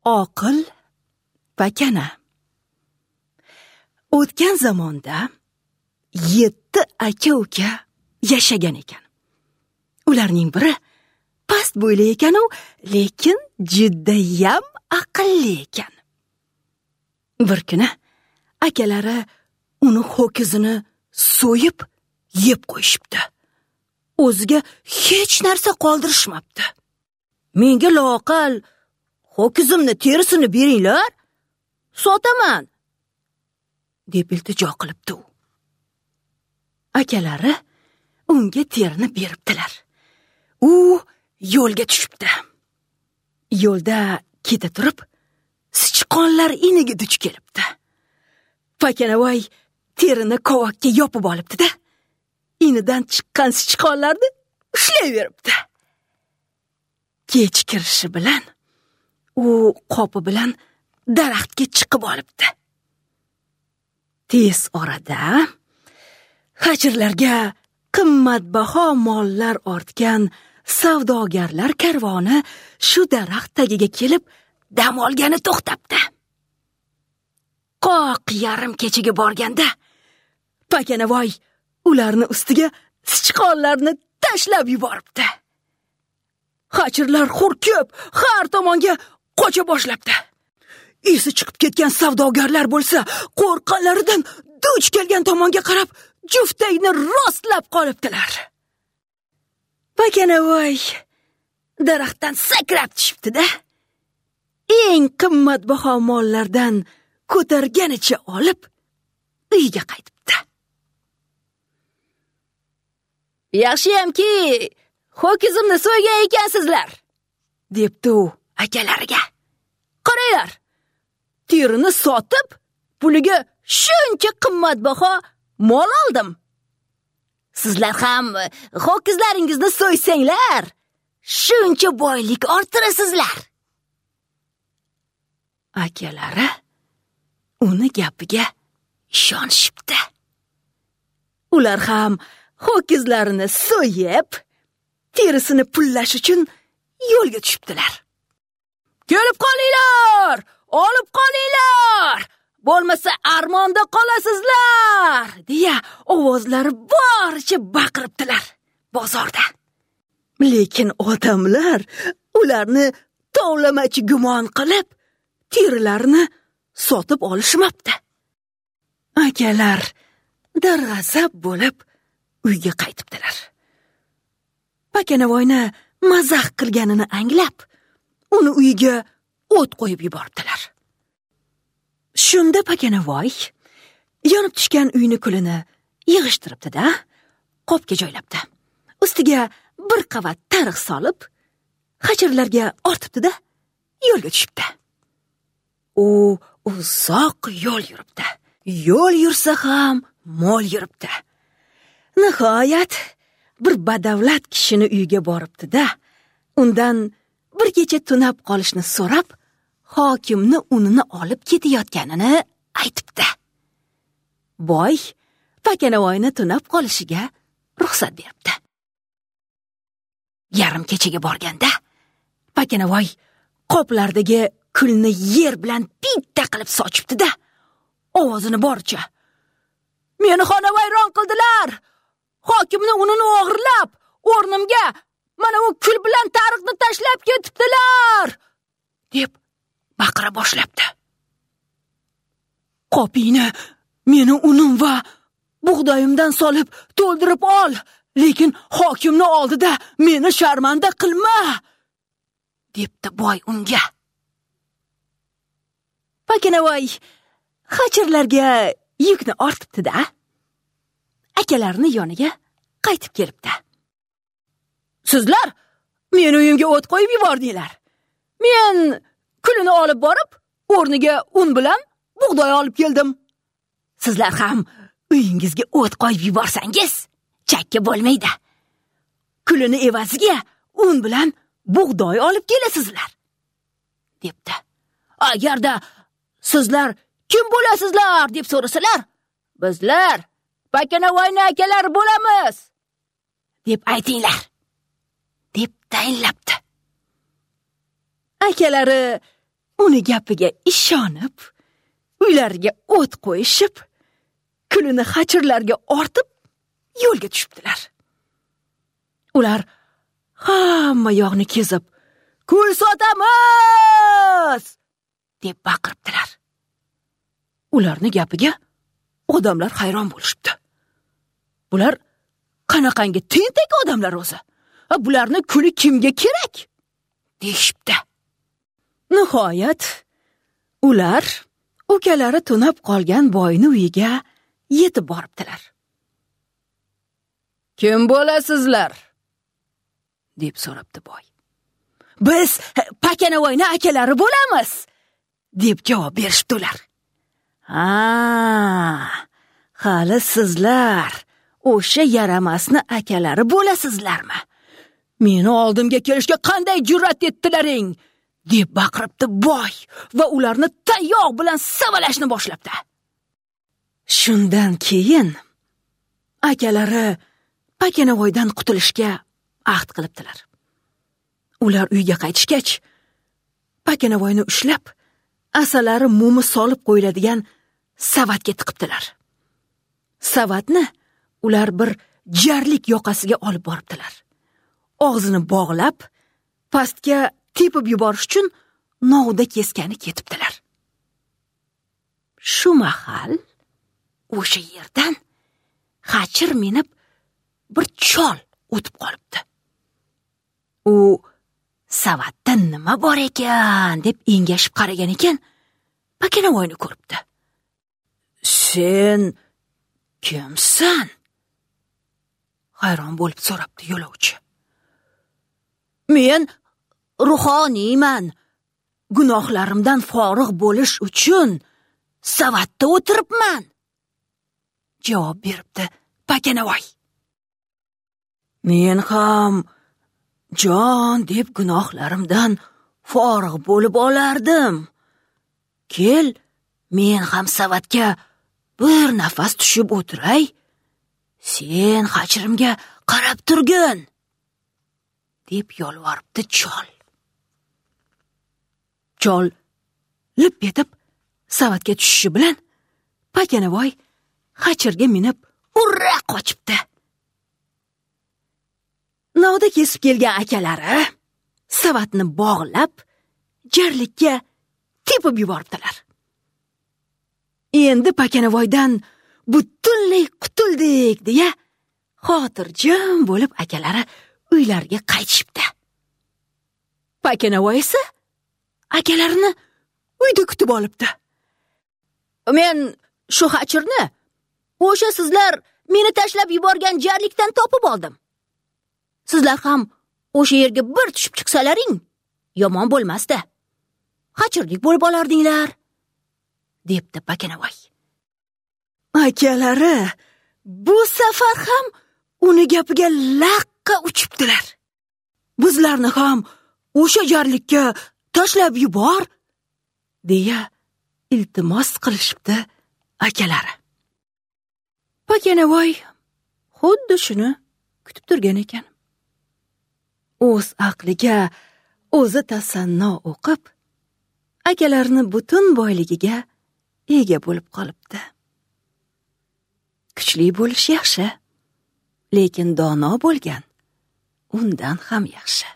Oqil pakana. O'tgan zamonda 7 aka-uka yashagan ekan. Ularning biri past bo'yli ekan-u, lekin judayam aqlli ekan. Bir kuni akalari uni ho'kizini so'yib yeb qo'yishibdi. O'ziga hech narsa qoldirishmabdi. Menga loaqal ho'kizimni terisini beringlar, sotaman, deb iltijo qilibdi u. Akalari unga terini beribdilar. U yo'lga tushibdi. Yo'lda keta turib, sichqonlar iniga duch kelibdi. Pakanavoy terini kovakka yopib olibdi-da, inidan chiqqan sichqonlarni ushlayveribdi. Kech kirishi bilan u qopi bilan daraxtga chiqib olibdi. Tez orada hajrlarga qimmatbaho mollar ortgan savdogarlar karvoni shu daraxt tagiga kelib dam olgani to'xtabdi. Qoq yarim kechaga borganda Pakanavoy ularni ustiga sichqonlarni tashlab yuboribdi. Hajrlar hurkib har tomonga qocha boshlabdi. Esi chiqib ketgan savdogarlar bo'lsa, qo'rqqanlaridan duch kelgan tomonga qarab juftayni rostlab qolibdilar. Pakanavoy daraxtdan sakrab tushibdi-da, eng qimmatbaho mollardan ko'targanicha olib uyga qaytibdi. Yaxshiyamki, ho'kizimni so'ygan ekansizlar, debdi u akalariga. Qaranglar, terini sotib, puliga shuncha qimmatbaho mol oldim. Sizlar ham ho'kizlaringizni so'ysanglar, shuncha boylik orttirasizlar. Akalari uni gapiga ishonishibdi. Ular ham ho'kizlarini so'yib, terisini pullash uchun yo'lga tushibdilar. Kelib qolinglar, olib qolinglar, bo'lmasa armonda qolasizlar, deya ovozlari boricha baqiribdilar bozorda. Lekin odamlar ularni tovlamachi gumon qilib, terilarini sotib olishmabdi. Akalar darg'azab bo'lib uyga qaytibdilar. Pakanavoyni mazax qilganini anglab, uni uyiga o't qo'yib yubordilar. Shunda Pakanavoy yonib tushgan uyni kulini yig'ishtiribdi-da, qopga joylabdi. Ustiga bir qavat tariq solib, hajrlarga ortibdi-da, yo'lga tushibdi. U uzoq yo'l yuribdi. Yo'l yursa ham mo'l yuribdi. Nihoyat bir badavlat kishini uyiga boribdi-da, undan bir kecha tunab qolishni so'rab, hokimni unini olib ketayotganini aytibdi. Boy Pakanavoyni tunab qolishiga ruxsat beribdi. Yarim kechaga borganda Pakanavoy qoplardagi kulni yer bilan bitta qilib sochibdi-da, ovozini boricha: "Meni xonavayron qildilar! Hokimni unini o'g'irlab, o'rnimga mana u kul bilan tariqni tashlab ketibdilar!" deb baqira boshlabdi. "Qopingni meni unim va bug'doyimdan solib to'ldirib ol, lekin hokimni oldida meni sharmanda qilma!" debdi boy unga. Pakanavoy hajrlarga yukni ortibdi-da, akalarini yoniga qaytib kelibdi. Sizlar meni uyimga o't qo'yib yubordinglar. Men kulini olib borib, o'rniga un bilan bug'doy olib keldim. Sizlar ham uyingizga o't qo'yib yuborsangiz, chakka bo'lmaydi. Kulini evaziga un bilan bug'doy olib kelasizlar, debdi. Agarda sizlar kim bo'lasizlar deb so'rasalar, bizlar Pakanavoyni akalari bo'lamiz, deb aytinglar, deb tayinlabdi. Akalari uni gapiga ishonib, uylariga o't qo'yishib, kulini xachirlarga ortib yo'lga tushibdilar. Ular hamma yoqni kezib, "Kul sotamiz!" deb baqiribdilar. Ularni gapiga odamlar hayron bo'lishibdi. Bular qanaqangi tentak odamlar o'zi? Bularni kuli kimga kerak? Deyishibdi. Nihoyat ular ukalari tunab qolgan boyni uyiga yetib boribdilar. "Kim bo'lasizlar?" deb so'rabdi boy. "Biz Pakanavoyni akalari bo'lamiz", deb javob berishibdi ular. "Ha, hali sizlar o'sha yaramasni akalari bo'lasizlarmi? Meni oldimga kelishga qanday jur'at etdilaring?" deb baqiribdi boy va ularni tayoq bilan savalashni boshlabdi. Shundan keyin akalari Pakanavoydan qutulishga ahd qilibdilar. Ular uyga qaytishgach, Pakanavoyni ushlab, asalari mumi solib qo'yiladigan savatga tiqibdilar. Savatni ular bir jarlik yoqasiga olib boribdilar. Og'zini bog'lab, pastga tepib yuborish uchun novda keskani ketibdilar. Shu mahal o'sha yerdan xachir minib bir chol o'tib qolibdi. U savatda nima bor ekan deb engashib qaragan ekan, Pakanavoyni ko'ribdi. "Sen kimsan?" hayron bo'lib so'rabdi yo'lovchi. "Men ruhoniyman. Gunohlarimdan forig' bo'lish uchun savatda o'tiribman", javob beribdi Pakanavoy. "Men ham jon deb gunohlarimdan forig' bo'lib olardim. Kel, men ham savatga bir nafas tushib o'tiray. Sen xachirimga qarab turgin", deb yolvoribdi chol. Chol lip etib savatga tushishi bilan Pakanavoy xachirga minib urra qochibdi. Novda kesib kelgan akalari savatni bog'lab jarlikka tepib yuboribdilar. Endi Pakanavoydan butunlay qutuldik deya xotirjam bo'lib akalari uylariga qaytishibdi. Pakanavoy esa akalarini uyda kutib olibdi. "Men shu xachirni o'sha sizlar meni tashlab yuborgan jarlikdan topib oldim. Sizlar ham o'sha yerga bir tushib chiqsalaring, yomon bo'lmasdi. Xachirlik bo'lib olardinglar", debdi Pakanavoy. Akalari bu safar ham uni gapiga laqqa uchibdilar. "Bizlarni ham o'sha jarlikka tashlab yubor", deya iltimos qilishibdi akalari. Pakanavoy xuddi shuni kutib turgan ekan. O'z aqliga o'zi tasanno o'qib, akalarini butun boyligiga ega bo'lib qolibdi. Kuchli bo'lish yaxshi, lekin dono bo'lgan undan ham yaxshi.